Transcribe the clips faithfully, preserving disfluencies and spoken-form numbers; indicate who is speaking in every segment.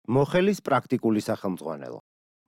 Speaker 1: მოხელის პრაქტიკული სახელმძღვანელო.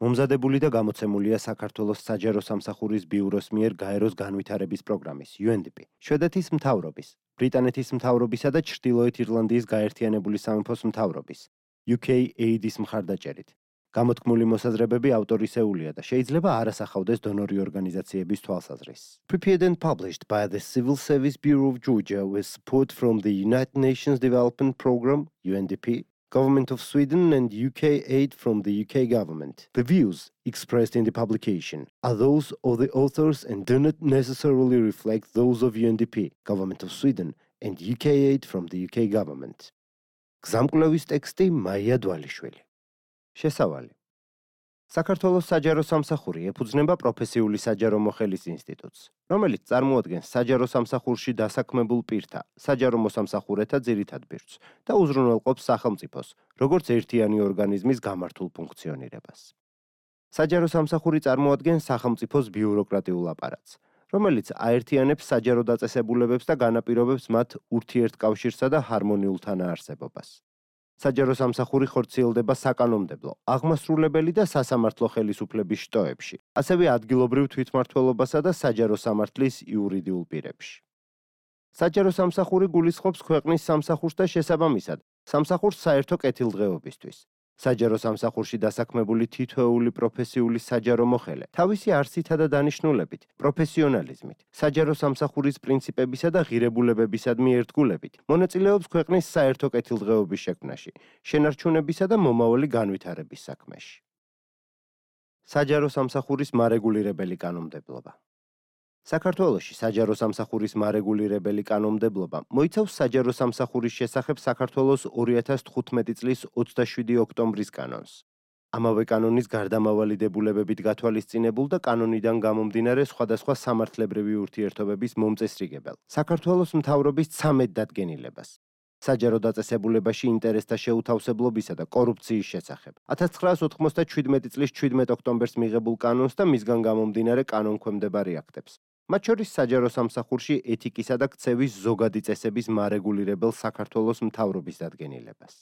Speaker 1: მომზადებული და გამოცემულია საქართველოს საჯარო სამსახურის ბიუროს მიერ გაეროს განვითარების პროგრამის იუ ენ დი პი, შვედეთის მთავრობის, ბრიტანეთის მთავრობისა და ჩრდილოეთ ირლანდიის გაერთიანებული სამეფოს მთავრობის იუ კეი ეიდ-ის მხარდაჭერით. გამოთქმული მოსაზრებები ავტორისეულია და შეიძლება არ ასახავდეს დონორი ორგანიზაციების თვალსაზრისს. Prepared and published by the Civil Service Bureau of Georgia with support from the United Nations Development Programme (U N D P), Government of Sweden and U K aid from the U K government. The views expressed in the publication are those of the authors and do not necessarily reflect those of U N D P, Government of Sweden and U K aid from the U K government. გზამკვლევის ტექსტი მაია დვალიშვილი. შესავალი. საქართველოს საჯარო სამსახური ეფუძნება პროფესიული საჯარო მოხელის ინსტიტუტს, რომელიც წარმოადგენს საჯარო სამსახურში დასაქმებულ პირთა, საჯარო მოსამსახურეთა ძირითად ბირთვს და უზრუნველყოფს სახელმწიფოს, როგორც ერთიანი ორგანიზმის გამართულ ფუნქციონირებას. საჯარო სამსახური წარმოადგენს სახელმწიფოს ბიუროკრატიულ აპარატს, რომელიც აერთიანებს საჯარო დაწესებულებებს და განაპირობებს მათ ურთიერთკავშირსა და ჰარმონიულ თანაარსებობას. საჯარო სამსახური ხორციელდება საკანონმდებლო, აღმასრულებელი და სასამართლო ხელისუფლების შტოებში, ასევე ადგილობრივ თვითმმართველობასა და საჯარო სამართლის იურიდიულ პირებში. საჯარო სამსახური გულისხმობს ქვეყნის სამსახურს და შესაბამისად, სამსახურს საერთო კეთილდღეობისთვის. საჯარო სამსახურში დასაქმებული თითოეული პროფესიული საჯარო მოხელე თავისი არსითა და დანიშნულებით, პროფესიონალიზმით, საჯარო სამსახურის პრინციპებისა და ღირებულებებისადმი ერთგულებით მონაწილეობს ქვეყნის საერთო კეთილდღეობის შექმნაში, შენარჩუნებისა და მომავალი განვითარების საქმეში. საჯარო სამსახურის მარეგულირებელი კანონმდებლობა. საქართველოში საჯარო სამსახურის მარეგულირებელი კანონმდებლობა მოიცავს საჯარო სამსახურის შესახებ საქართველოს ორი ათას თხუთმეტი წლის ოცდაშვიდი ოქტომბრის კანონს. ამავე კანონის გარდამავალი დებულებებით გათვალისწინებულ და კანონიდან გამომდინარე სხვადასხვა სამართლებრივი ურთიერთობების მომწესრიგებელ საქართველოს მთავრობის ცამეტ დადგენილებას. საჯარო დაწესებულებაში ინტერესთა შეუთავსებლობისა და კორუფციის შესახებ. ათას ცხრაას ოთხმოცდაშვიდმეტი წლის შვიდმეტ ოქტომბერს მიღებულ კანონს და მისგან გამომდინარე კანონქვემდებარე აქტებს. მათ შორის საჯარო სამსახურში ეთიკისა და ქცევის ზოგადი წესების მარეგულირებელ საქართველოს მთავრობის დადგენილებას.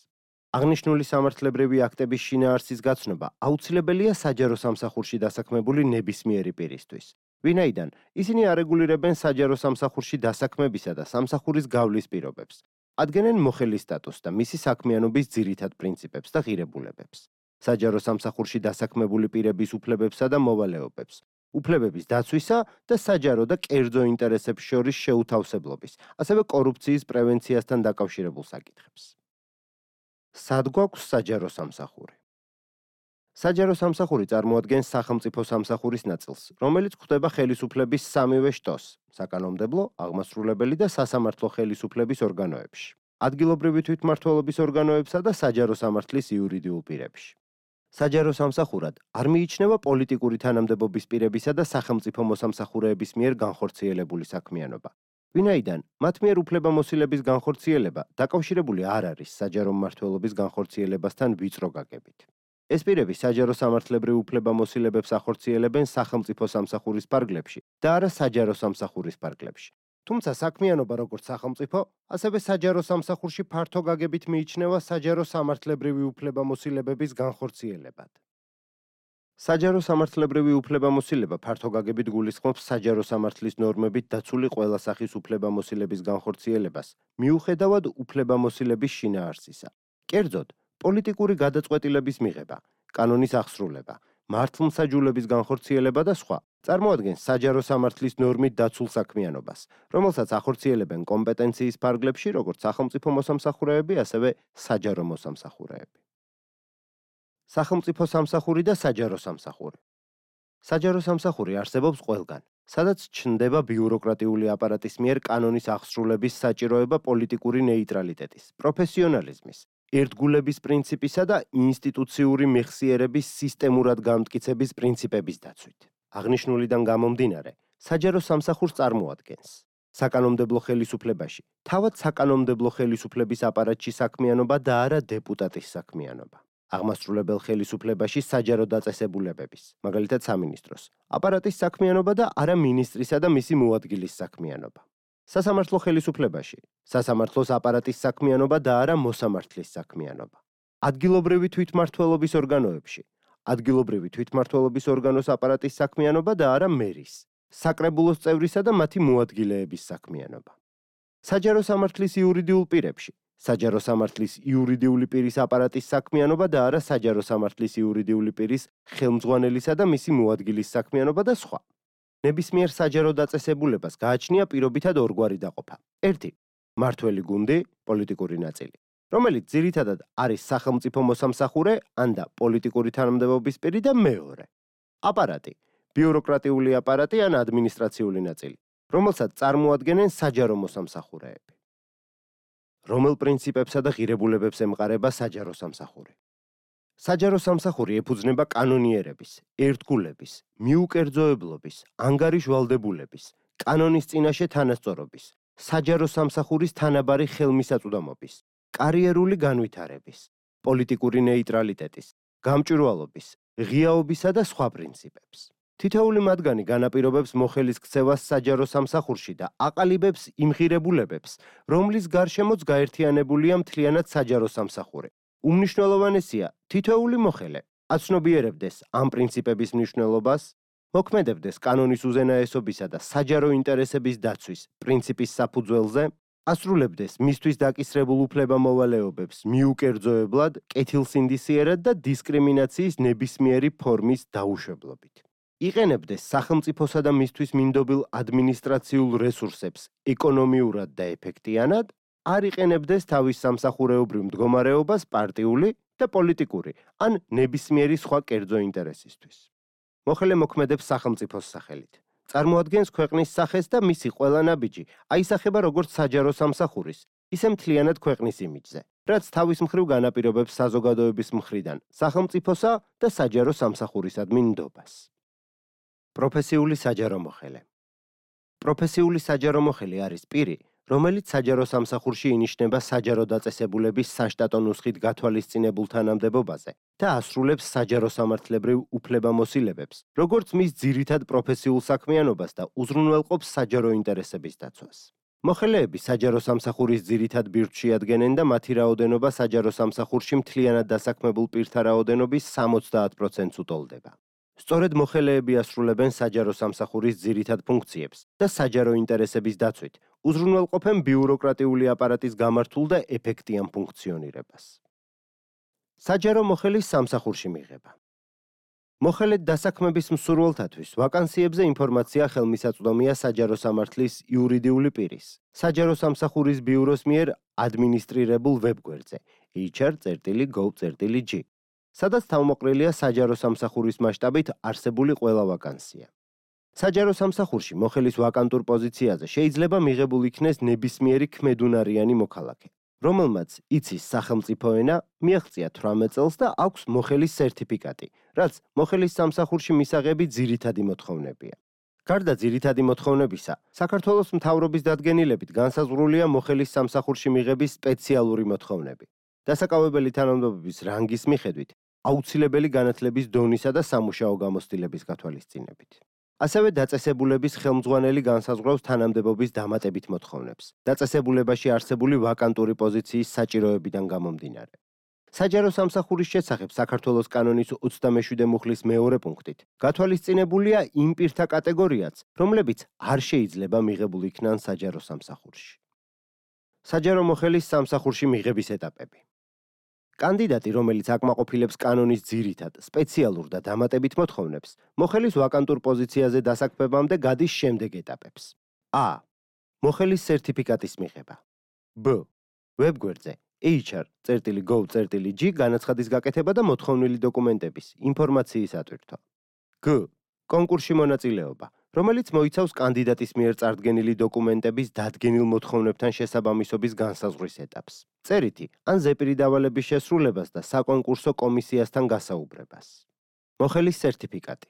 Speaker 1: აღნიშნული სამართლებრივი აქტების შინაარსის გაცნობა აუცილებელია საჯარო სამსახურში დასაქმებული ნებისმიერი პირისთვის, ვინაიდან ისინი არეგულირებენ საჯარო სამსახურში დასაქმებისა და სამსახურის გავლის პირობებს, ადგენენ მოხელის სტატუსს და მისი საქმიანობის ძირითად პრინციპებს და ღირებულებებს, საჯარო სამსახურში დასაქმებული პირების უფლებებსა და მოვალეობებს, უფლებების დაცვისა და საჯარო და კერძო ინტერესებს შორის შეუთავსებლობის, ასევე კორუფციის პრევენციასთან დაკავშირებულ საკითხებს. სად გვაქვს საჯარო სამსახური? საჯარო სამსახური წარმოადგენს სახელმწიფო სამსახურის ნაწილს, რომელიც გვხვდება ხელისუფლების სამივე შტოს, საკანონმდებლო, აღმასრულებელი და სასამართლო ხელისუფლების ორგანოებში, ადგილობრივი თვითმმართველობის ორგანოებსა და საჯარო სამართლის იურიდიულ პირებში. საჯარო სამსახურად არ მიიჩნევა პოლიტიკური თანამდებობის პირებისა და სახელმწიფო მოსამსახურეების მიერ განხორციელებული საქმიანობა. ვინაიდან მათ მიერ უფლებამოსილების განხორციელება დაკავშირებული არ არის საჯარო მმართველობის განხორციელებასთან ვიწრო გაგებით. ეს პირები საჯარო სამართლებრივ უფლებამოსილებებს ახორციელებენ სახელმწიფო სამსახურის ფარგლებში და არა საჯარო სამსახურის ფარგლებში. თუმცა საქმიანობა როგორც სახელმწიფო, ასევე საჯარო სამსახურში ფართო გაგებით მიიჩნევა საჯარო სამართლებრივი უფლებამოსილებების განხორციელებად. საჯარო სამართლებრივი უფლებამოსილება ფართო გაგებით გულისხმობს საჯარო სამართლის ნორმებით დაცული ყველა სახის უფლებამოსილების განხორციელებას, მიუხედავად უფლებამოსილების შინაარსისა. კერძოდ, პოლიტიკური გადაწყვეტილების მიღება, კანონის აღსრულება, მართლმსაჯულების განხორციელება და სხვა წარმოადგენს საჯარო სამართლის ნორმით დაცულ საქმიანობას, რომელსაც ახორციელებენ კომპეტენციის ფარგლებში როგორც სახელმწიფო მოსამსახურეები, ასევე საჯარო მოსამსახურეები. სახელმწიფო სამსახური და საჯარო სამსახური. საჯარო სამსახური არსებობს ყველგან, სადაც ჩნდება ბიუროკრატიული აპარატის მიერ კანონის აღსრულების საჭიროება პოლიტიკური ნეიტრალიტეტის, პროფესიონალიზმის, ერთგულების პრინციპისა და ინსტიტუციური მეხსიერების სისტემურად გამტკიცების პრინციპების დაცვით. აღნიშნულიდან გამომდინარე, საჯარო სამსახურს წარმოადგენს საკანონმდებლო ხელისუფლებაში, თავად საკანონმდებლო ხელისუფლების აპარატში საქმიანობა და არა დეპუტატის საქმიანობა. აღმასრულებელ ხელისუფლებაში საჯარო დაწესებულებების, მაგალითად სამინისტროს, აპარატის საქმიანობა და არა მინისტრისა და მისი მოადგილის საქმიანობა. სასამართლო ხელისუფლებაში, სასამართლოს აპარატის საქმიანობა და არა მოსამართლის საქმიანობა. ადგილობრივი თვითმმართველობის ორგანოებში, ადგილობრივი თვითმმართველობის ორგანოს აპარატის საქმიანობა და არა მერის, საკრებულოს წევრისა და მათი მოადგილეების საქმიანობა. საჯარო სამართლის იურიდიულ პირებში, საჯარო სამართლის იურიდიული პირის აპარატის საქმიანობა და არა საჯარო სამართლის იურიდიული პირის ხელმძღვანელისა და მისი მოადგილის საქმიანობა და სხვა. ნებისმიერ საჯარო დაწესებულებას გააჩნია პირობითად ორგვარი დაყოფა. ერთი. მმართველი გუნდი, პოლიტიკური ნაწილი, რომელიც ძირითადად არის სახელმწიფო მოსამსახურე ან და პოლიტიკური თანამდებობის პირი და მეორე. აპარატი, ბიუროკრატიული აპარატი ან ადმინისტრაციული ნაწილი, რომელსაც წარმოადგენენ საჯარო მოსამსახურეები. რომელ პრინციპებსა და ღირებულებებს ემყარება საჯარო სამსახური? საჯარო სამსახური ეფუძნება კანონიერების, ერთგულების, მიუკერძოებლობის, ანგარიშვალდებულების, კანონის წინაშე თანასწორობის, საჯარო სამსახურის თანაბარი ხელმისაწვდომობის, კარიერული განვითარების, პოლიტიკური ნეიტრალიტეტის, გამჭვირვალობის, ღიაობისა და სხვა პრინციპებს. თითოეული მათგანი განაპირობებს მოხელის ქცევას საჯარო სამსახურში და აყალიბებს იმ ღირებულებებს, რომლის გარშემოც გაერთიანებულია მთლიანად საჯარო სამსახური. უმნიშვნელოვანესია, თითოეული მოხელე აცნობიერებდეს ამ პრინციპების მნიშვნელობას, მოქმედებდეს კანონის უზენაესობისა და საჯარო ინტერესების დაცვის პრინციპის საფუძველზე, ასრულებდეს მისთვის დაკისრებულ უფლებამოვალეობებს მიუკერძოებლად, კეთილსინდისიერად და დისკრიმინაციის ნებისმიერი ფორმის დაუშვებლობით. იყენებდეს სახელმწიფოსა და მისთვის მინდობილ ადმინისტრაციულ რესურსებს ეკონომიურად და ეფექტიანად, არ იყენებდეს თავის სამსახურეობრივ მდგომარეობას პარტიული და პოლიტიკური ან ნებისმიერი სხვა კერძო ინტერესისთვის. მოხელე მოქმედებს სახელმწიფოს სახელით. წარმოადგენს ქვეყნის სახეს და მისი ყველა ნაბიჯი აისახება როგორც საჯარო სამსახურის, ისე მთლიანად ქვეყნის იმიჯზე, რაც თავის მხრივ განაპირობებს საზოგადოების მხრიდან სახელმწიფოსა და საჯარო სამსახურისადმი ნდობას. პროფესიული საჯარო მოხელე. პროფესიული საჯარო მოხელე არის პირი, რომელიც საჯარო სამსახურში ინიშნება საჯარო დაწესებულების საშტატო ნუსხით გათვალისწინებულ თანამდებობაზე და ასრულებს საჯარო სამართლებრივ უფლებამოსილებებს, როგორც მის ძირითად პროფესიულ საქმიანობას და უზრუნველყოფს საჯარო ინტერესების დაცვას. მოხელეები საჯარო სამსახურის ძირითად ბირთვში ადგენენ და მათი რაოდენობა საჯარო სამსახურში მთლიანად დასაქმებულ პირთა რაოდენობის სამოცდაათ პროცენტს უტოლდება. სწორედ მოხელეები ასრულებენ საჯარო სამსახურის ძირითად ფუნქციებს და საჯარო ინტერესების დაცვით უზრუნველყოფენ ბიუროკრატიული აპარატის გამართულ და ეფექტიან ფუნქციონირებას. საჯარო მოხელის სამსახურში მიღება. მოხელედ დასაქმების მსურველთათვის ვაკანსიებზე ინფორმაცია ხელმისაწვდომია საჯარო სამართლის იურიდიული პირის, საჯარო სამსახურის ბიუროს მიერ ადმინისტრირებულ ვებგვერდზე ეიჩ არ წერტილი გოვ წერტილი ჯი. სადაც თავმოყრილია საჯარო სამსახურის მასშტაბით არსებული ყველა ვაკანსია. საჯარო სამსახურში მოხელის ვაკანტურ პოზიციაზე შეიძლება მიღებულ იქნეს ნებისმიერი ქმედუნარიანი მოქალაქე, რომელმაც იცის სახელმწიფო ენა, მიაღწია თვრამეტ წელს და აქვს მოხელის სერტიფიკატი, რაც მოხელის სამსახურში მისაღები ძირითადი მოთხოვნებია. გარდა ძირითადი მოთხოვნებისა, საქართველოს მთავრობის დადგენილებით განსაზღვრულია მოხელის სამსახურში მიღების სპეციალური მოთხოვნები. დასაკავებელი თანამდებობის რანგის მიხედვით, აუცილებელი განათლების დონისა და სამუშაო გამოცდილების გათვალისწინებით. ასევე დაწესებულების ხელმძღვანელი განსაზღვრავს თანამდებობის დამატებით მოთხოვნებს, დაწესებულებაში არსებული ვაკანტური პოზიციის საჭიროებიდან გამომდინარე. საჯარო სამსახურის შესახებ საქართველოს კანონის ოცდამეშვიდე მუხლის მეორე პუნქტით გათვალისწინებულია იმ პირთა კატეგორიაც, რომლებიც არ შეიძლება მიღებულ იქნან საჯარო სამსახურში. საჯარო მოხელის სამსახურში მიღების ეტაპები. კანდიდატი, რომელიც აკმაყოფილებს კანონის ძირითად, სპეციალურ და დამატებით მოთხოვნებს, მოხელის ვაკანტურ პოზიციაზე დასაქმებამდე გადის შემდეგ ეტაპებს. ა. მოხელის სერტიფიკატის მიღება. ბ. ვებგვერდზე ეიჩ არ წერტილი გოვ წერტილი ჯი განაცხადის გაკეთება და მოთხოვნილი დოკუმენტების, ინფორმაციის ატვირთვა. გ. კონკურსში მონაწილეობა, რომელიც მოიცავს კანდიდატის მიერ წარდგენილი დოკუმენტების დადგენილ მოთხოვნებთან შესაბამისობის განსაზღვრის ეტაპს, წერითი ან ზეპირი დავალების შესრულებას და საკონკურსო კომისიასთან გასაუბრებას. მოხელის სერტიფიკატი.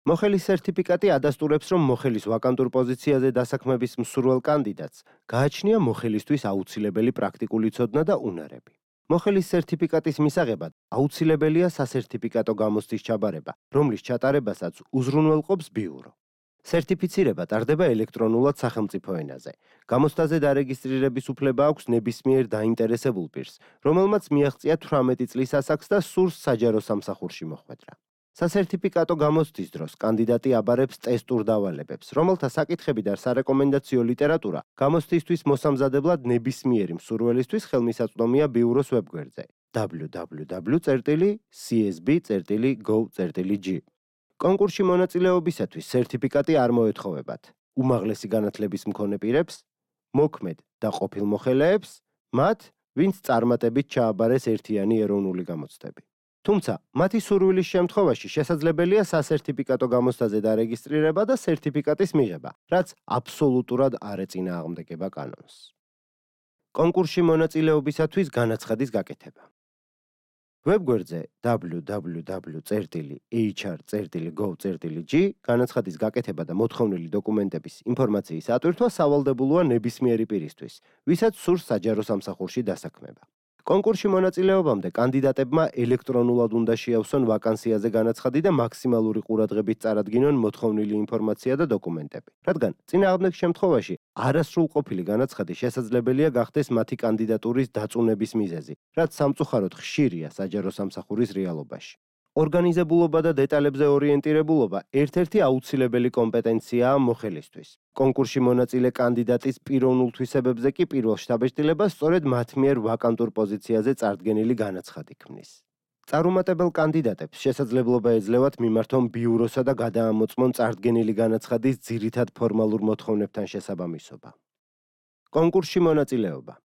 Speaker 1: მოხელის სერტიფიკატი ადასტურებს, რომ მოხელის ვაკანტურ პოზიციაზე დასაქმების მსურველ კანდიდატს გააჩნია მოხელისთვის აუცილებელი პრაქტიკული ცოდნა და უნარები. მოხელის სერტიფიკატის მისაღებად აუცილებელია სასერტიფიკატო გამოცდის ჩაბარება, რომლის ჩატარებასაც უზრუნველყოფს ბიურო. სერტიფიცირება ტარდება ელექტრონულად სახელმწიფო ენაზე. გამოცდაზე დარეგისტრირების უფლება აქვს ნებისმიერ დაინტერესებულ პირს, რომელმაც მიაღწია თვრამეტი წლის ასაკს და სურს საჯარო სამსახურში მოხვედრა. სასერტიფიკატო გამოცდის დროს კანდიდატი აბარებს ტესტურ დავალებებს, რომელთა საკითხები და სარეკომენდაციო ლიტერატურა გამოცდისთვის მოსამზადებლად ნებისმიერი მსურველისთვის ხელმისაწვდომია ბიუროს ვებგვერდზე double-u double-u double-u წერტილი c s b წერტილი gov წერტილი g. კონკურსში მონაწილეობისათვის სერტიფიკატი არ მოეთხოვებათ. უმაღლესი განათლების მქონე პირებს, მოქმედ და ყოფილ მოხელეებს, მათ, ვინც წარმატებით ჩააბარეს ერთიანი ეროვნული გამოცდები. თუმცა, მათი სურვილის შემთხვევაში შესაძლებელია სასერტიფიკატო გამოცდაზე დარეგისტრირება და სერტიფიკატის მიღება, რაც აბსოლუტურად არ ეწინააღმდეგება კანონს. კონკურსში მონაწილეობისათვის განაცხადის გაკეთება. ვებგვერდზე double-u double-u double-u წერტილი h r წერტილი gov წერტილი g განაცხადის გაკეთება და მოთხოვნილი დოკუმენტების ინფორმაციის ატვირთვა სავალდებულოა ნებისმიერი პირისთვის, ვისაც სურს საჯარო სამსახურში დასაქმება. კონკურსში მონაწილეობამდე კანდიდატებმა ელექტრონულად უნდა შეავსონ ვაკანსიაზე განაცხადი და მაქსიმალური ყურადღებით წარადგინონ მოთხოვნილი ინფორმაცია და დოკუმენტები. რადგან წინააღმდეგ შემთხვევაში არასრულყოფილი განაცხადი შესაძლებელია გახდეს მათი კანდიდატურის დაწუნების მიზეზი, რაც სამწუხაროდ ხშირია საჯარო სამსახურის რეალობაში. ორგანიზებულობა და დეტალებზე ორიენტირებულობა ერთ-ერთი აუცილებელი კომპეტენციაა მოხელისთვის. კონკურსში მონაწილე კანდიდატის პიროვნულ თვისებებზე კი პირველ შთაბეჭდილებას სწორედ მათ მიერ ვაკანტურ პოზიციაზე წარდგენილი განაცხადი ქმნის. წარუმატებელ კანდიდატებს შესაძლებლობა ეძლევათ მიმართონ ბიუროსა და გადაამოწმონ წარდგენილი განაცხადის ძირითად ფორმალურ მოთხოვნებთან შესაბამისობა. კონკურსში მონაწილეობა.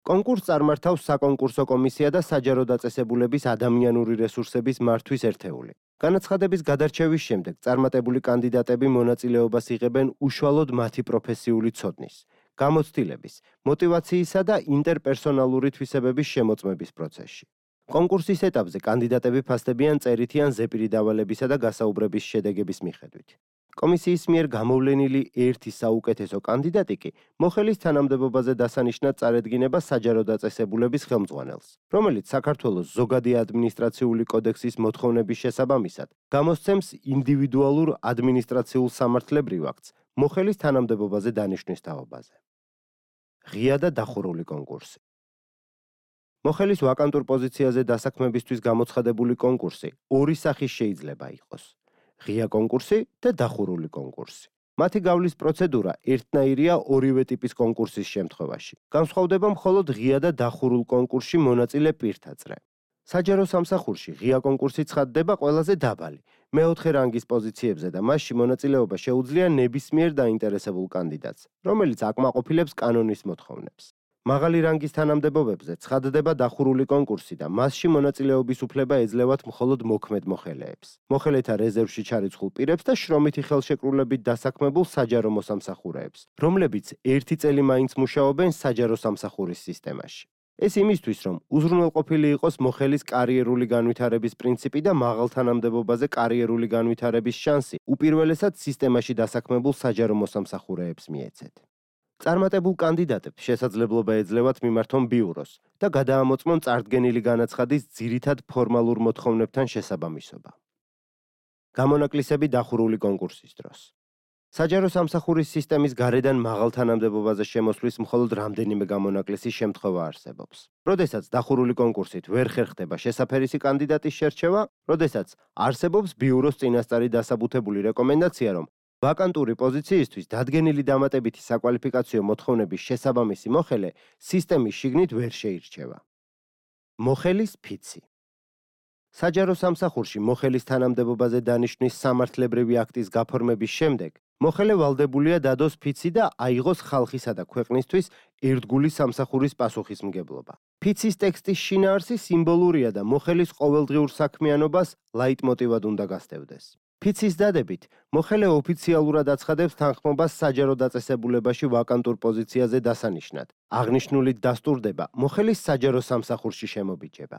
Speaker 1: კონკურსს წარმართავს საკონკურსო კომისია და საჯარო დაწესებულების ადამიანური რესურსების მართვის ერთეული. განაცხადების გადარჩევის შემდეგ წარმატებული კანდიდატები მონაწილეობას იღებენ უშუალოდ მათი პროფესიული ცოდნის, გამოცდილების, მოტივაციისა და ინტერპერსონალური თვისებების შემოწმების პროცესში. კონკურსის ეტაპზე კანდიდატები ფასდებიან წერითი ან ზეპირი დავალებისა და გასაუბრების შედეგების მიხედვით. კომისიის მიერ გამოვლენილი ერთი საუკეთესო კანდიდატი კი მოხელის თანამდებობაზე დასანიშნად წარედგინება საჯარო დაწესებულების ხელმძღვანელს, რომელიც საქართველოს ზოგადი ადმინისტრაციული კოდექსის მოთხოვნების შესაბამისად გამოსცემს ინდივიდუალურ ადმინისტრაციულ სამართლებრივ აქტს მოხელის თანამდებობაზე დანიშვნის თაობაზე. ღია და დახურული კონკურსი. მოხელის ვაკანტურ პოზიციაზე დასაქმებისთვის გამოცხადებული კონკურსი ორი სახის შეიძლება იყოს. ღია კონკურსი და დახურული კონკურსი. მათი გავლის პროცედურა ერთნაირია ორივე ტიპის კონკურსის შემთხვევაში. განსხვავდება მხოლოდ ღია და დახურულ კონკურსში მონაწილე პირთა წრე. საჯარო სამსახურში ღია კონკურსი ცხადდება ყველაზე დაბალი, მეოთხე რანგის პოზიციებზე და მასში მონაწილეობა შეუძლია ნებისმიერ დაინტერესებულ კანდიდატს, რომელიც აკმაყოფილებს კანონის მოთხოვნებს. მაღალი რანგის თანამდებობებზე ცხადდება დახურული კონკურსი და მასში მონაწილეობის უფლება ეძლევათ მხოლოდ მოქმედ მოხელეებს, მოხელეთა რეზერვში ჩარიცხულ პირებს და შრომითი ხელშეკრულებით დასაქმებულ საჯარო მოსამსახურეებს, რომლებიც ერთი წელი მაინც მუშაობენ საჯარო სამსახურის სისტემაში. ეს იმისთვის, რომ უზრუნველყოფილი იყოს მოხელის კარიერული განვითარების პრინციპი და მაღალ თანამდებობაზე კარიერული განვითარების შანსი უპირველესად სისტემაში დასაქმებულ საჯარო მოსამსახურეებს მიეცეთ. წარმატებულ კანდიდატებს შესაძლებლობა ეძლევათ მიმართონ ბიუროს და გადაამოწმონ წარდგენილი განაცხადის ძირითად ფორმალურ მოთხოვნებთან შესაბამისობა. გამონაკლისები დახურული კონკურსის დროს. საჯარო სამსახურის სისტემის გარედან მაღალ თანამდებობაზე შემოსვლის მხოლოდ რამდენიმე გამონაკლისი შემთხვევა არსებობს. როდესაც დახურული კონკურსით ვერ ხერხდება შესაფერისი კანდიდატის შერჩევა, როდესაც არსებობს ბიუროს წინასწარი დასაბუთებული რეკომენდაცია, რომ ვაკანტური პოზიციისთვის დადგენილი დამატებითი საკვალიფიკაციო მოთხოვნების შესაბამისი მოხელე სისტემის შიგნით ვერ შეირჩევა. მოხელის ფიცი. საჯარო სამსახურში მოხელის თანამდებობაზე დანიშვნის სამართლებრივი აქტის გაფორმების შემდეგ მოხელე ვალდებულია დადოს ფიცი და აიღოს ხალხისა და ქვეყნისთვის ერთგული სამსახურის პასუხისმგებლობა. ფიცის ტექსტის შინაარსი სიმბოლურია და მოხელის ყოველდღიურ საქმიანობას ლაიტმოტივად უნდა გასდევდეს. ფიცის დადებით მოხელე ოფიციალურად აცხადებს თანხმობას საჯარო დაწესებულებაში ვაკანტურ პოზიციაზე დასანიშნად. აღნიშნულით დასტურდება მოხელის საჯარო სამსახურში შემობიჯება.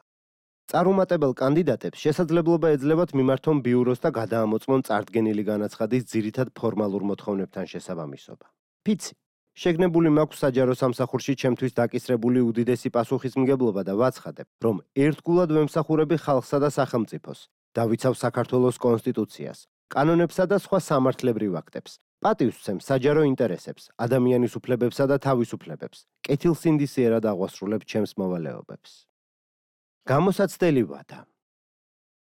Speaker 1: წარუმატებელ კანდიდატებს შესაძლებლობა ეძლევათ მიმართონ ბიუროს და გადაამოწმონ წარდგენილი განაცხადის ძირითად ფორმალურ მოთხოვნებთან შესაბამისობა. ფიცი. შეგნებული მაქვს საჯარო სამსახურში ჩემთვის დაკისრებული უდიდესი პასუხისმგებლობა და ვაცხადებ, რომ ერთგულად ვემსახურები ხალხსა და სახელმწიფოს, დავიცავ საქართველოს კონსტიტუციას, კანონებსა და სხვა სამართლებრივ აქტებს. პატივს სცემს საჯარო ინტერესებს, ადამიანის უფლებებსა და თავისუფლებებს. კეთილსინდისიერად აღვასრულებს ჩემს მოვალეობებს. გამოსაცდელი ვადა.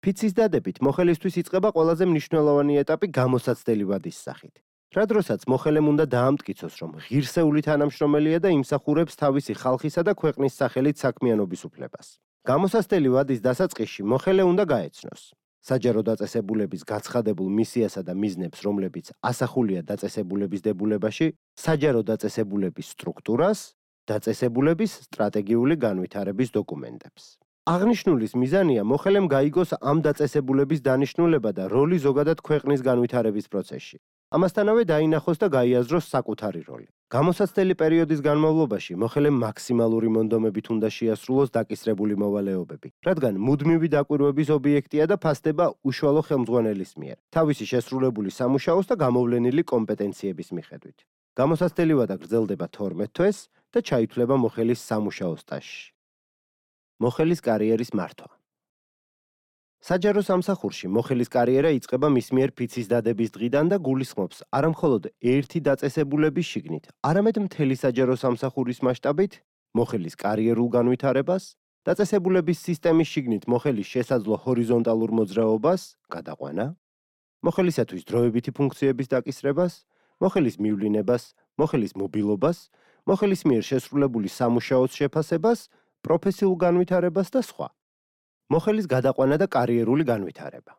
Speaker 1: ფიცის დადებით მოხელისთვის იწყება ყველაზე მნიშვნელოვანი ეტაპი გამოსაცდელი ვადის სახით. რა დროსაც მოხელემ უნდა დაამტკიცოს, რომ ღირსეული თანამშრომელია და იმსახურებს თავისი ხალხისა და ქვეყნის სახელით საქმიანობის უფლებას. გამოსაცდელი ვადის დასაწყისში მოხელე უნდა გაეცნოს საჯარო დაწესებულების გაცხადებულ მისიასა და მიზნებს, რომლებიც ასახულია დაწესებულების დებულებაში, საჯარო დაწესებულების სტრუქტურას, დაწესებულების სტრატეგიული განვითარების დოკუმენტებს. აღნიშნულის მიზანია მოხელემ გაიგოს ამ დაწესებულების დანიშნულება და როლი ზოგადად ქვეყნის განვითარების პროცესში. ამასთანავე დაინახოს და გაიაზროს საკუთარი როლი. გამოსაცდელი პერიოდის განმავლობაში მოხელემ მაქსიმალური მონდომებით უნდა შეასრულოს დაკისრებული მოვალეობები, რადგან მუდმივი დაკვირვების ობიექტია და ფასდება უშუალო ხელმძღვანელის მიერ, თავისი შესრულებული სამუშაოს და გამოვლენილი კომპეტენციების მიხედვით. გამოსაცდელი ვადა გრძელდება თორმეტ თვეს და ჩაითვლება მოხელის სამუშაო სტაჟში. მოხელის კარიერის მართვა. საჯარო სამსახურში მოხელის კარიერა იწყება მის მიერ ფიცის დადების დღიდან და გულისხმობს არა მხოლოდ ერთი დაწესებულების შიგნით, არამედ მთელი საჯარო სამსახურის მასშტაბით მოხელის კარიერულ განვითარებას, დაწესებულების სისტემის შიგნით მოხელის შესაძლო ჰორიზონტალურ მოძრაობას, გადაყვანა, მოხელისათვის დროებითი ფუნქციების დაკისრებას, მოხელის მივლინებას, მოხელის მობილობას, მოხელის მიერ შესრულებული სამუშაოს შეფასებას, პროფესიულ განვითარებას და სხვა. მოხელის გადაყვანა და კარიერული განვითარება.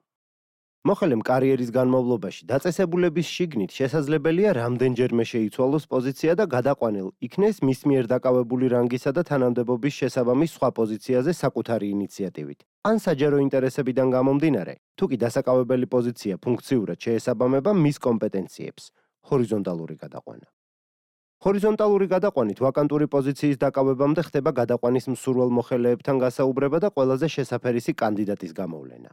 Speaker 1: მოხელემ კარიერის განმავლობაში დაწესებულების შიგნით შესაძლებელია რამდენჯერმე შეიცვალოს პოზიცია და გადაყვანილ იქნეს მის მიერ დაკავებული რანგისა და თანამდებობის შესაბამის სხვა პოზიციაზე საკუთარი ინიციატივით. ან საჯარო ინტერესებიდან გამომდინარე, თუ კი დასაკავებელი პოზიცია ფუნქციურად შეესაბამება მის კომპეტენციებს, ჰორიზონტალური გადაყვანა. ჰორიზონტალური გადაყვანით ვაკანტური პოზიციის დაკავებამდე ხდება გადაყვანის მსურველ მოხელეებთან გასაუბრება და ყველაზე შესაფერისი კანდიდატის გამოვლენა.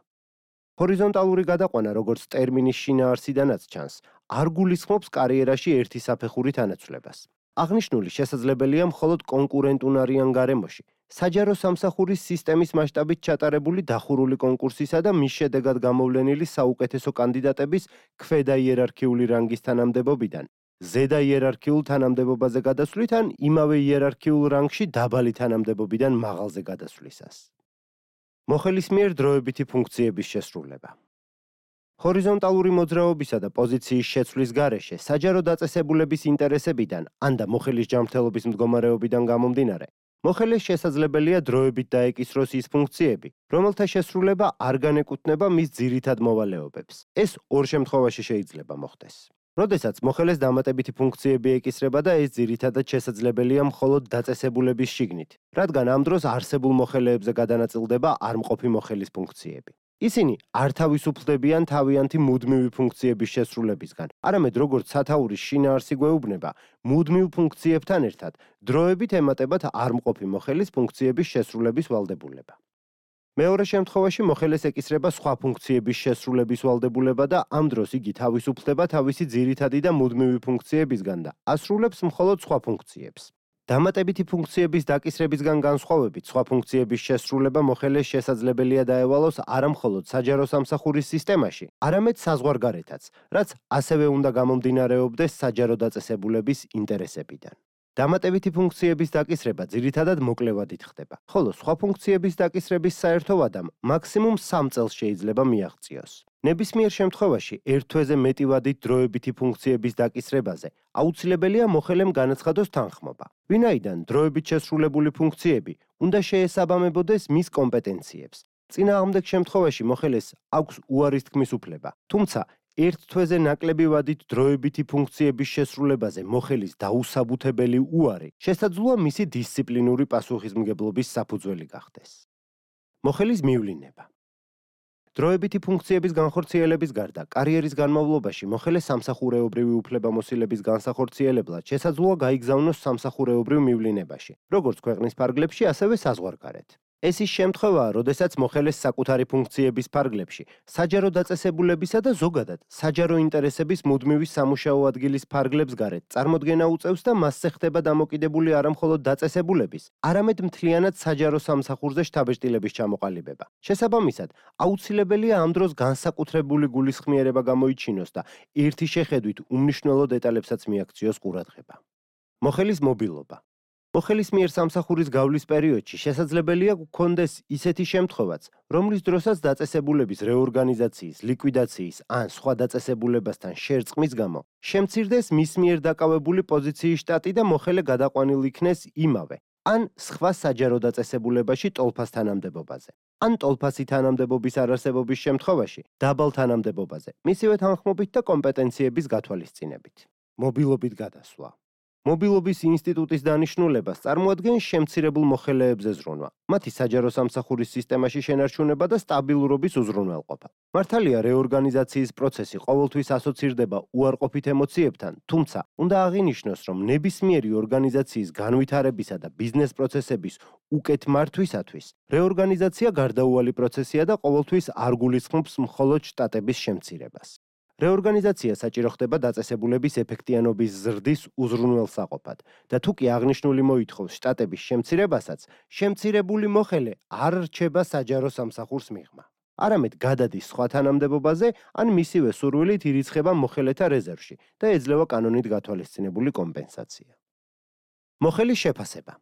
Speaker 1: ჰორიზონტალური გადაყვანა, როგორც ტერმინის შინაარსიდანაც ჩანს, არ გულისხმობს კარიერაში ერთი საფეხურით ანაცვლებას. აღნიშნული შესაძლებელია მხოლოდ კონკურენტუნარიან გარემოში, საჯარო სამსახურის სისტემის მასშტაბით ჩატარებული დახურული კონკურსისა და მის შედეგად გამოვლენილი საუკეთესო კანდიდატების ქვედა იერარქიული რანგის თანამდებობიდან. ზედა იერარქიულ თანამდებობაზე გადასვლით ან იმავე იერარქიულ რანგში დაბალი თანამდებობიდან მაღალზე გადასვლისას. მოხელის მიერ დროებითი ფუნქციების შესრულება. ჰორიზონტალური მოძრაობისა და პოზიციის შეცვლის გარეშე საჯარო დაწესებულების ინტერესებიდან ან და მოხელის ჯანმრთელობის მდგომარეობიდან გამომდინარე, მოხელეს შესაძლებელია დროებით დაეკისროს ის ფუნქციები, რომელთა შესრულება არ განეკუთვნება მის ძირითად მოვალეობებს. ეს ორ შემთხვევაში შეიძლება მოხდეს. როდესაც მოხელეს დამატებითი ფუნქციები ეკისრება და ეს ძირითადად შესაძლებელია მხოლოდ დაწესებულების შიგნით, რადგან ამ დროს არსებულ მოხელეებზე გადანაწილდება არმყოფი მოხელის ფუნქციები. ისინი არ თავისუფლდებიან თავიანთი მუდმივი ფუნქციების შესრულებისგან, არამედ როგორც სათაურის შინაარსი გვეუბნება, მუდმივ ფუნქციებთან ერთად დროებით ემატებათ არმყოფი მოხელის ფუნქციების შესრულების ვალდებულება. მეორე შემთხვევაში მოხელეს ეკისრება სხვა ფუნქციების შესრულების ვალდებულება და ამ დროს იგი თავისუფლდება თავისი ძირითადი და მუდმივი ფუნქციებისგან და ასრულებს მხოლოდ სხვა ფუნქციებს. დამატებითი ფუნქციების დაკისრებისგან განსხვავებით, სხვა ფუნქციების შესრულება მოხელეს შესაძლებელია დაევალოს არა მხოლოდ საჯარო სამსახურის სისტემაში, არამედ საზღვარგარეთაც, რაც ასევე უნდა გამომდინარეობდეს საჯარო დაწესებულების ინტერესებიდან. დამატებითი ფუნქციების დაკისრება ძირითადად მოკლევადით ხდება, ხოლო სხვა ფუნქციების დაკისრების საერთო ვადამ მაქსიმუმ სამ წელს შეიძლება მიაღწიოს. ნებისმიერ შემთხვევაში ერთ თვეზე მეტი ვადით დროებითი ფუნქციების დაკისრებაზე აუცილებელია მოხელემ განაცხადოს თანხმობა, ვინაიდან დროებით შესრულებული ფუნქციები უნდა შეესაბამებოდეს მის კომპეტენციებს. წინააღმდეგ შემთხვევაში მოხელეს აქვს უარის თქმის უფლება, თუმცა ერთ თვეზე ნაკლები ვადით დროებითი ფუნქციების შესრულებაზე მოხელის დაუსაბუთებელი უარი შესაძლოა მისი დისციპლინური პასუხისმგებლობის საფუძველი გახდეს. მოხელის მივლინება. დროებითი ფუნქციების განხორციელების გარდა, კარიერის განმავლობაში მოხელე სამსახურეობრივი უფლებამოსილების განსახორციელებლად შესაძლოა გაიგზავნოს სამსახურეობრივ მივლინებაში, როგორც ქვეყნის ფარგლებში, ასევე საზღვარგარეთ. ეს ის შემთხვევაა, როდესაც მოხელეს საკუთარი ფუნქციების ფარგლებში, საჯარო დაწესებულებისა და ზოგადად საჯარო ინტერესების მუდმივი სამუშაო ადგილის ფარგლებს გარეთ წარმოდგენა უწევს და მასზე ხდება დამოკიდებული არა მხოლოდ დაწესებულების, არამედ მთლიანად საჯარო სამსახურზე შთაბეჭდილების ჩამოყალიბება. შესაბამისად, აუცილებელია ამ დროს განსაკუთრებული გულისხმიერება გამოიჩინოს და ერთი შეხედვით უმნიშვნელო დეტალებსაც მიაქციოს ყურადღება. მოხელის მობილობა. მოხელის მიერ სამსახურის გავლის პერიოდში შესაძლებელია გქონდეს ისეთი შემთხვევაც, რომლის დროსაც დაწესებულების რეორგანიზაციის, ლიკვიდაციის ან სხვა დაწესებულებასთან შერწყმის გამო შემცირდეს მის მიერ დაკავებული პოზიციის შტატი და მოხელე გადაყვანილ იქნეს იმავე ან სხვა საჯარო დაწესებულებაში ტოლფას თანამდებობაზე. ან ტოლფასი თანამდებობის არარსებობის შემთხვევაში დაბალ თანამდებობაზე, მისივე თანხმობით და კომპეტენციების გათვალისწინებით. მობილობით გადასვლა. მობილობის ინსტიტუტის დანიშნულებას წარმოადგენს შემცირებულ მოხელეებზე ზრუნვა, მათი საჯარო სამსახურის სისტემაში შენარჩუნება და სტაბილურობის უზრუნველყოფა. მართალია რეორგანიზაციის პროცესი ყოველთვის ასოცირდება უარყოფით ემოციებთან, თუმცა უნდა აღინიშნოს, რომ ნებისმიერი ორგანიზაციის განვითარებისა და ბიზნეს პროცესების უკეთ მართვისათვის რეორგანიზაცია გარდაუვალი პროცესია და ყოველთვის არ გულისხმობს მხოლოდ შტატების შემცირებას. რეორგანიზაცია საჭირო ხდება დაწესებულების ეფექტიანობის ზრდის უზრუნველსაყოფად და თუ კი აღნიშნული მოითხოვს შტატების შემცირებასაც, შემცირებული მოხელე არ რჩება საჯარო სამსახურს მიღმა. არამედ გადადის სხვა თანამდებობაზე ან მისივე სურვილით ირიცხება მოხელეთა რეზერვში და ეძლევა კანონით გათვალისწინებული კომპენსაცია. მოხელის შეფასება.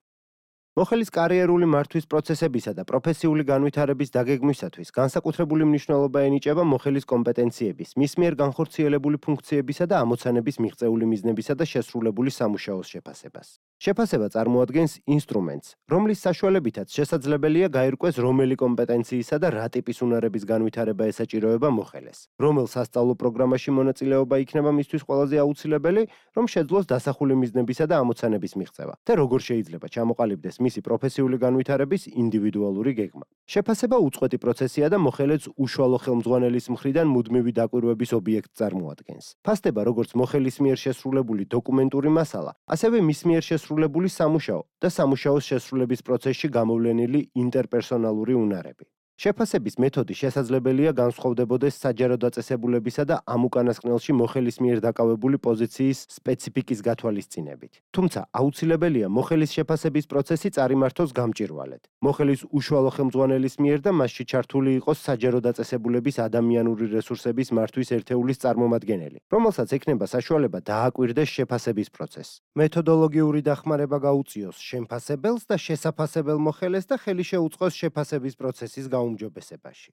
Speaker 1: მოხელის კარიერული მართვის პროცესებისა და პროფესიული განვითარების დაგეგმვისათვის განსაკუთრებული მნიშვნელობა ენიჭება მოხელის კომპეტენციების, მის მიერ განხორციელებული ფუნქციებისა და ამოცანების მიღწეული მიზნებისა და შესრულებული სამუშაოს შეფასებას. შეფასება წარმოადგენს ინსტრუმენტს, რომლის საშუალებითაც შესაძლებელია გაირკვეს რომელი კომპეტენციისა და რა ტიპის უნარების განვითარება ესაჭიროება მოხელეს, რომელ სასწავლო პროგრამაში მონაწილეობა იქნება მისთვის ყველაზე აუცილებელი, რომ შეძლოს დასახული მიზნებისა და ამოცანების მიღწევა და როგორ შეიძლება ჩამოყალიბდეს მისი პროფესიული განვითარების ინდივიდუალური გეგმა. შეფასება უწყვეტი პროცესია და მოხელეც უშუალო ხელმძღვანელის მხრიდან მუდმივი დაკვირვების ობიექტს წარმოადგენს. ფასდება როგორც მოხელის მიერ შესრულებული დოკუმენტური მასალა, ასევე მის მიერ შესრულებული სამუშაო და სამუშაოს შესრულების პროცესში გამოვლენილი ინტერპერსონალური უნარები. შეფასების მეთოდი შესაძლებელია განსხვავდებოდეს საჯარო დაწესებულებისა და ამ უკანასკნელში მოხელის მიერ დაკავებული პოზიციის სპეციფიკის გათვალისწინებით. თუმცა აუცილებელია მოხელის შეფასების პროცესი წარიმართოს გამჭირვალედ. მოხელის უშუალო ხელმძღვანელის მიერ და მასში ჩართული იყოს საჯარო დაწესებულების ადამიანური რესურსების მართვის ერთეულის წარმომადგენელი, რომელსაც ექნება საშუალება დააკვირდეს შეფასების პროცესს. მეთოდოლოგიური დახმარება გაუწიოს შემფასებელს და შესაფასებელ მოხელეს და ხელი შეუწყოს შეფასების პროცესის გაუმჯობესებაში.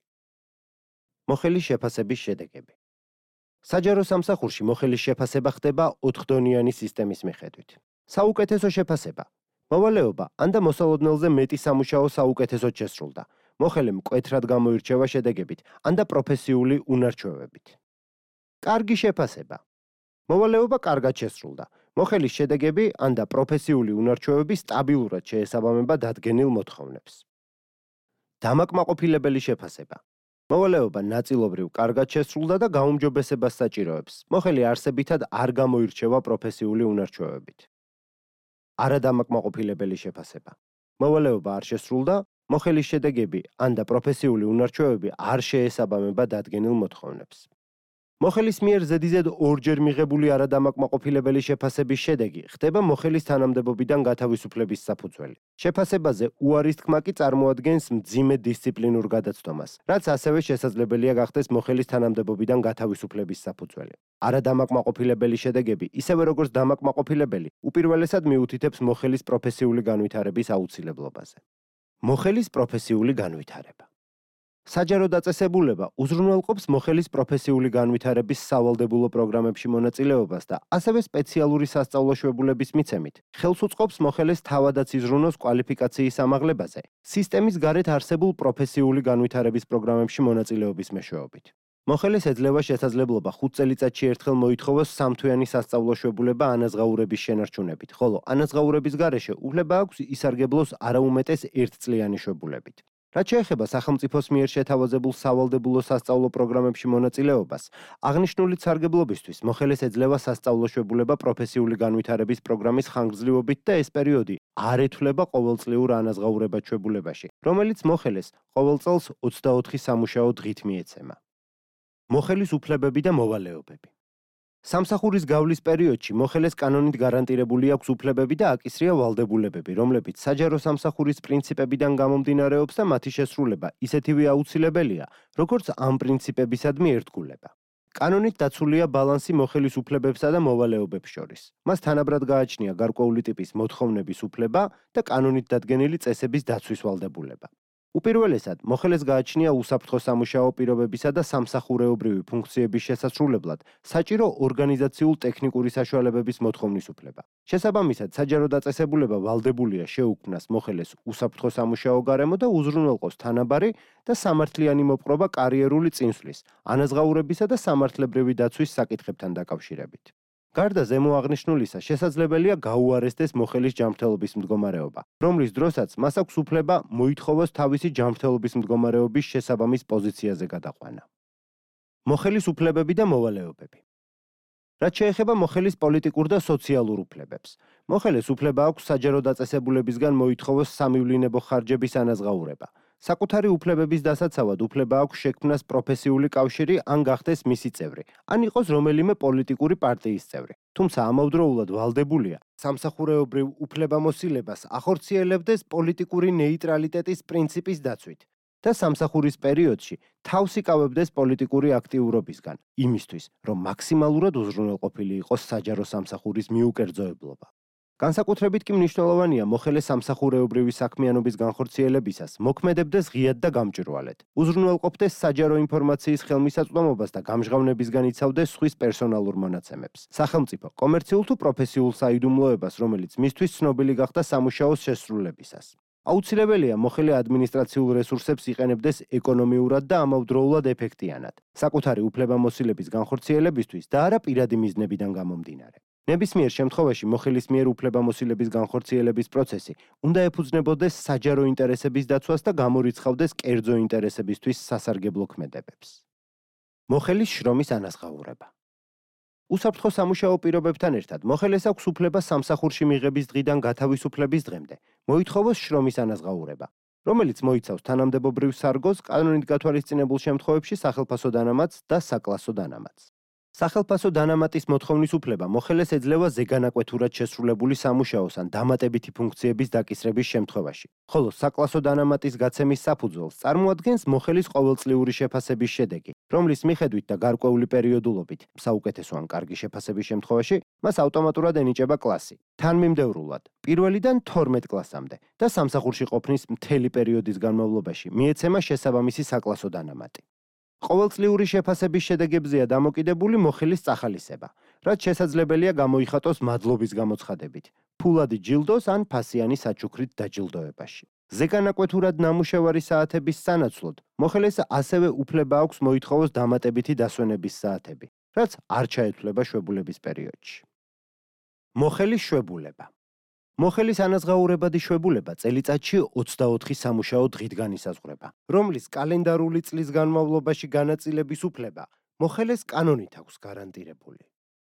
Speaker 1: მოხელის შეფასების შედეგები. საჯარო სამსახურში მოხელის შეფასება ხდება ოთხდონიანი სისტემის მიხედვით. საუკეთესო შეფასება. მოვალეობა ან და მოსალოდნელზე მეტი სამუშაო საუკეთესოდ შესრულდა. მოხელე მკვეთრად გამოირჩევა შედეგებით ან და პროფესიული უნარჩვევებით. კარგი შეფასება. მოვალეობა კარგად შესრულდა. მოხელის შედეგები ან და პროფესიული უნარჩვევები სტაბილურად შეესაბამება დადგენილ მოთხოვნებს. დამაკმაყოფილებელი შეფასება. მოვალეობა ნაწილობრივ კარგად შესრულდა და გაუმჯობესებას საჭიროებს. მოხელი არსებითად არ გამოირჩევა პროფესიული უნარჩვევებით. არადამაკმაყოფილებელი შეფასება. მოვალეობა არ შესრულდა, მოხელის შედეგები ან და პროფესიული უნარჩვევები არ შეესაბამება დადგენილ მოთხოვნებს. მოხელის მიერ ზედიზედ ორჯერ მიღებული არადამაკმაყოფილებელი შეფასების შედეგი ხდება მოხელის თანამდებობიდან გათავისუფლების საფუძველი. შეფასებაზე უარის თქმა კი წარმოადგენს მძიმე დისციპლინურ გადაცდომას, რაც ასევე შესაძლებელია გახდეს მოხელის თანამდებობიდან გათავისუფლების საფუძველი. არადამაკმაყოფილებელი შედეგები, ისევე როგორც დამაკმაყოფილებელი, უპირველესად მიუთითებს მოხელის პროფესიული განვითარების აუცილებლობაზე. მოხელის პროფესიული განვითარება. საჯარო დაწესებულება უზრუნველყოფს მოხელის პროფესიული განვითარების სავალდებულო პროგრამებში მონაწილეობას და ასევე სპეციალური სასწავლო შვებულების მიცემით ხელს უწყობს მოხელეს თავადაც იზრუნოს კვალიფიკაციის ამაღლებაზე სისტემის გარეთ არსებულ პროფესიული განვითარების პროგრამებში მონაწილეობის მეშვეობით. მოხელეს ეძლევა შესაძლებლობა ხუთ წელიწადში ერთხელ მოითხოვოს სამთვიანი სასწავლო შვებულება ანაზღაურების შენარჩუნებით, ხოლო ანაზღაურების გარეშე უფლება აქვს ისარგებლოს არაუმეტეს ერთწლიანი შვებულებით. რაც შეეხება სახელმწიფოს მიერ შეთავაზებულ სავალდებულო სასწავლო პროგრამებში მონაწილეობას, აღნიშნული სარგებლობისთვის მოხელეს ეძლევა სასწავლო შვებულება პროფესიული განვითარების პროგრამის ხანგრძლივობით და ეს პერიოდი არ ეთვლება ყოველწლიურ ანაზღაურებად შვებულებაში, რომელიც მოხელეს ყოველ წელს ოცდაოთხი სამუშაო დღით მიეცემა. მოხელის უფლებები და მოვალეობები. სამსახურის გავლის პერიოდში მოხელეს კანონით გარანტირებული აქვს უფლებები და აკისრია ვალდებულებები, რომლებიც საჯარო სამსახურის პრინციპებიდან გამომდინარეობს და მათი შესრულება ისეთივე აუცილებელია, როგორც ამ პრინციპებისადმი ერთგულება. კანონით დაცულია ბალანსი მოხელის უფლებებსა და მოვალეობებს შორის. მას თანაბრად გააჩნია გარკვეული ტიპის მოთხოვნების უფლება და კანონით დადგენილი წესების დაცვის ვალდებულება. უპირველესად, მოხელეს გააჩნია უსაფრთხო სამუშაო პირობებისა და სამსახურეობრივი ფუნქციების შესასრულებლად საჭირო ორგანიზაციულ ტექნიკური საშუალებების მოთხოვნის უფლება. შესაბამისად, საჯარო დაწესებულება ვალდებულია შეუქმნას მოხელეს უსაფრთხო სამუშაო გარემო და უზრუნველყოს თანაბარი და სამართლიანი მოპყრობა კარიერული წინსვლის, ანაზღაურებისა და სამართლებრივი დაცვის საკითხებთან დაკავშირებით. გარდა ზემო აღნიშნულისა, შესაძლებელია გაუარესდეს მოხელის ჯანმრთელობის მდგომარეობა, რომლის დროსაც მას აქვს უფლება მოითხოვოს თავისი ჯანმრთელობის მდგომარეობის შესაბამის პოზიციაზე გადაყვანა. მოხელის უფლებები და მოვალეობები. რაც შეეხება მოხელის პოლიტიკურ და სოციალურ უფლებებს, მოხელეს უფლება აქვს საჯარო დაწესებულებისგან მოითხოვოს სამივლინებო ხარჯების ანაზღაურება. საკუთარი უფლებების დასაცავად უფლება აქვს შექმნას პროფესიული კავშირი ან გახდეს მისი წევრი, ან იყოს რომელიმე პოლიტიკური პარტიის წევრი. თუმცა ამავდროულად ვალდებულია სამსახურეობრივ უფლებამოსილებას ახორციელებდეს პოლიტიკური ნეიტრალიტეტის პრინციპის დაცვით და სამსახურის პერიოდში თავს იკავებდეს პოლიტიკური აქტიურობისგან, იმისთვის, რომ მაქსიმალურად უზრუნველყოფილი იყოს საჯარო სამსახურის მიუკერძოებლობა. განსაკუთრებით კი მნიშვნელოვანია მოხელე სამსახურეობრივი საქმიანობის განხორციელებისას მოქმედებდეს ღიად და გამჭვირვალედ, უზრუნველყოფდეს საჯარო ინფორმაციის ხელმისაწვდომობას და გამჟღავნებისგან იცავდეს სხვის პერსონალურ მონაცემებს, სახელმწიფო, კომერციულ თუ პროფესიულ საიდუმლოებას, რომელიც მისთვის ცნობილი გახდა სამუშაოს შესრულებისას. აუცილებელია მოხელე ადმინისტრაციულ რესურსებს იყენებდეს ეკონომიურად და ამავდროულად ეფექტიანად, საკუთარი უფლებამოსილების განხორციელებისთვის და არა პირადი მიზნებიდან გამომდინარე. ნებისმიერ შემთხვევაში მოხელის მიერ უფლებამოსილების განხორციელების პროცესი უნდა ეფუძნებოდეს საჯარო ინტერესების დაცვას და გამორიცხავდეს კერძო ინტერესებისთვის სასარგებლო ქმედებებს. მოხელის შრომის ანაზღაურება. უსაფრთხო სამუშაო პირობებთან ერთად მოხელეს აქვს უფლება სამსახურში მიღების დღიდან გათავისუფლების დღემდე მოითხოვოს შრომის ანაზღაურება, რომელიც მოიცავს თანამდებობრივ სარგოს, კანონით გათვალისწინებულ შემთხვევებში სახელფასო დანამატს და საკლასო დანამატს. სახელფასო დანამატის მოთხოვნის უფლება მოხელეს ეძლევა ზეგანაკვეთურად შესრულებული სამუშაოს ან დამატებითი ფუნქციების დაკისრების შემთხვევაში, ხოლო საკლასო დანამატის გაცემის საფუძველს წარმოადგენს მოხელის ყოველწლიური შეფასების შედეგი, რომლის მიხედვით და გარკვეული პერიოდულობით, საუკეთესო ან კარგი შეფასების შემთხვევაში, მას ავტომატურად ენიჭება კლასი. თანმიმდევრულად, პირველიდან თორმეტ კლასამდე და სამსახურში ყოფნის მთელი პერიოდის განმავლობაში მიეცემა შესაბამისი საკლასო დანამატი. ყოველწლიური შეფასების შედეგებზეა დამოკიდებული მოხელის წახალისება, რაც შესაძლებელია გამოიხატოს მადლობის გამოცხადებით, ფულადი ჯილდოს ან ფასიანი საჩუქრით დაჯილდოებაში. ზეგანაკვეთურად ნამუშევარი საათების სანაცვლოდ, მოხელეს ასევე უფლება აქვს მოითხოვოს დამატებითი დასვენების საათები, რაც არ ჩაეთვლება შვებულების პერიოდში. მოხელის შვებულება. მოხელის ანაზღაურებადი შვებულება წელიწადში ოცდაოთხი სამუშაო დღით განისაზღვრება, რომლის კალენდარული წლის განმავლობაში განაწილების უფლება მოხელეს კანონით აქვს გარანტირებული.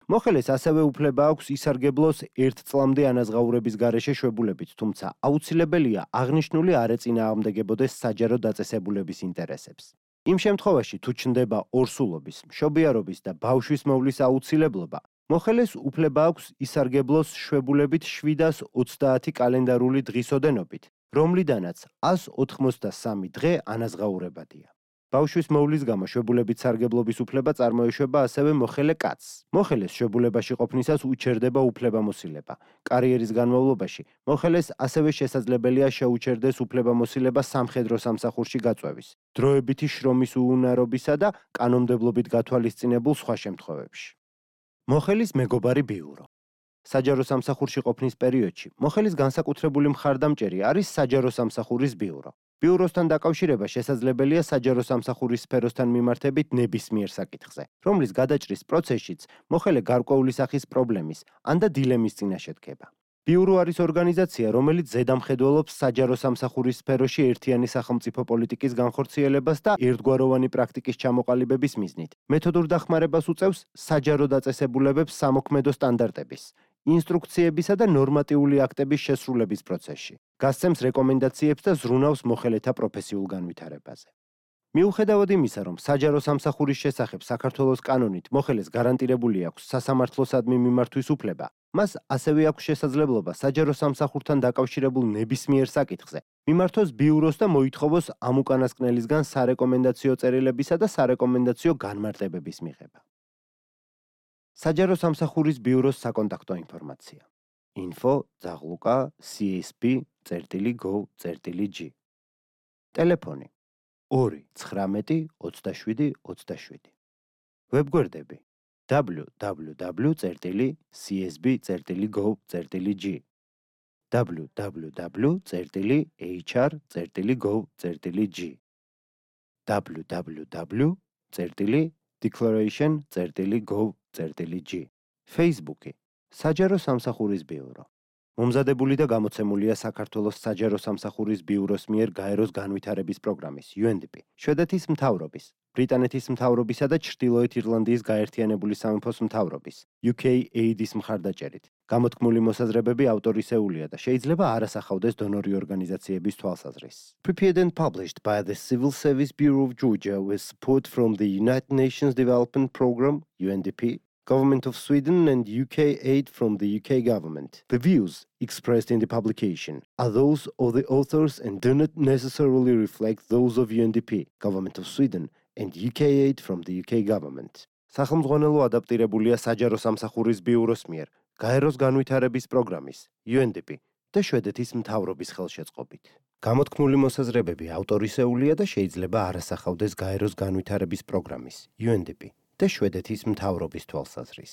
Speaker 1: მოხელეს ასევე უფლება აქვს ისარგებლოს ერთ წლამდე ანაზღაურების გარეშე შვებულებით, თუმცა აუცილებელია აღნიშნული არ ეწინააღმდეგებოდეს საჯარო დაწესებულების ინტერესებს. იმ შემთხვევაში, თუ ჩნდება ორსულობის, მშობიარობის და ბავშვის მოვლის აუცილებლობა, მოხელეს უფლება აქვს ისარგებლოს შვებულებით შვიდას ოცდაათი კალენდარული დღის ოდენობით, რომლიდანაც ას ოთხმოცდასამი დღე ანაზღაურებადია. ბავშვის მოვლის გამო შვებულებით სარგებლობის უფლება წარმოეშვება ასევე მოხელე კაცს. მოხელეს შვებულებაში ყოფნისას უჩერდება უფლებამოსილება. კარიერის განმავლობაში მოხელეს ასევე შესაძლებელია შეუჩერდეს უფლებამოსილება სამხედრო სამსახურში გაწვევის, დროებითი შრომის უუნარობისა და კანონმდებლობით გათვალისწინებულ სხვა შემთხვევებში. მოხელის მეგობარი ბიურო. საჯარო სამსახურში ყოფნის პერიოდში მოხელის განსაკუთრებული მხარდამჭერი არის საჯარო სამსახურის ბიურო. ბიუროსთან დაკავშირება შესაძლებელია საჯარო სამსახურის სფეროსთან მიმართებით ნებისმიერ საკითხზე, რომლის გადაჭრის პროცესშიც მოხელე გარკვეული სახის პრობლემის ან და დილემის წინაშე დგება. ბიურო არის ორგანიზაცია, რომელიც ზედამხედველობს საჯარო სამსახურის სფეროში ერთიანი სახელმწიფო პოლიტიკის განხორციელებას და ერთგვაროვანი პრაქტიკის ჩამოყალიბების მიზნით. მეთოდურ დახმარებას უწევს საჯარო დაწესებულებებს სამოქმედო სტანდარტების, ინსტრუქციებისა და ნორმატიული აქტების შესრულების პროცესში. გასცემს რეკომენდაციებს და ზრუნავს მოხელეთა პროფესიულ განვითარებაზე. მიუხედავად იმისა, რომ საჯარო სამსახურის შესახებ საქართველოს კანონით მოხელეს გარანტირებული აქვს სასამართლოსადმი მიმართვის უფლება, მას ასევე აქვს შესაძლებლობა საჯარო სამსახურთან დაკავშირებულ ნებისმიერ საკითხზე მიმართოს ბიუროს და მოითხოვოს ამ უკანასკნელისგან სარეკომენდაციო წერილებისა და სარეკომენდაციო განმარტებების მიღება. საჯარო სამსახურის ბიუროს საკონტაქტო ინფორმაცია. info ზაღლუკა c s p dot gov dot g ტელეფონი ორი ცხრამეტი ოცდაშვიდი ოცდაშვიდი ვებგვერდები w w w dot c s b dot gov dot g w w w dot h r dot gov dot g w w w dot declaration dot gov dot g Facebook-ი საჯარო სამსახურის ბიურო. მომზადებული და გამოცემულია საქართველოს საჯარო სამსახურის ბიუროს მიერ გაეროს განვითარების პროგრამის U N D P, შვედეთის მთავრობის, ბრიტანეთის მთავრობისა და ჩრდილოეთ ირლანდიის გაერთიანებული სამეფოს მთავრობის U K aid-ის მხარდაჭერით. გამოთქმული მოსაზრებები ავტორისეულია და შეიძლება არ ასახავდეს დონორი ორგანიზაციების თვალსაზრისს. Prepared and published by the Civil Service Bureau of Georgia with support from the United Nations Development Programme U N D P, Government of Sweden and U K aid from the U K government. The views expressed in the publication are those of the authors and do not necessarily reflect those of U N D P, Government of Sweden and U K aid from the U K government. სახელმძღვანელო ადაპტირებულია საჯარო სამსახურის ბიუროს მიერ გაეროს განვითარების პროგრამის U N D P და შვედეთის მთავრობის ხელშეწყობით. გამოთქმული მოსაზრებები ავტორისეულია და შეიძლება არ ასახავდეს გაეროს განვითარების პროგრამის U N D P და შვედეთის მთავრობის თვალსაზრისს.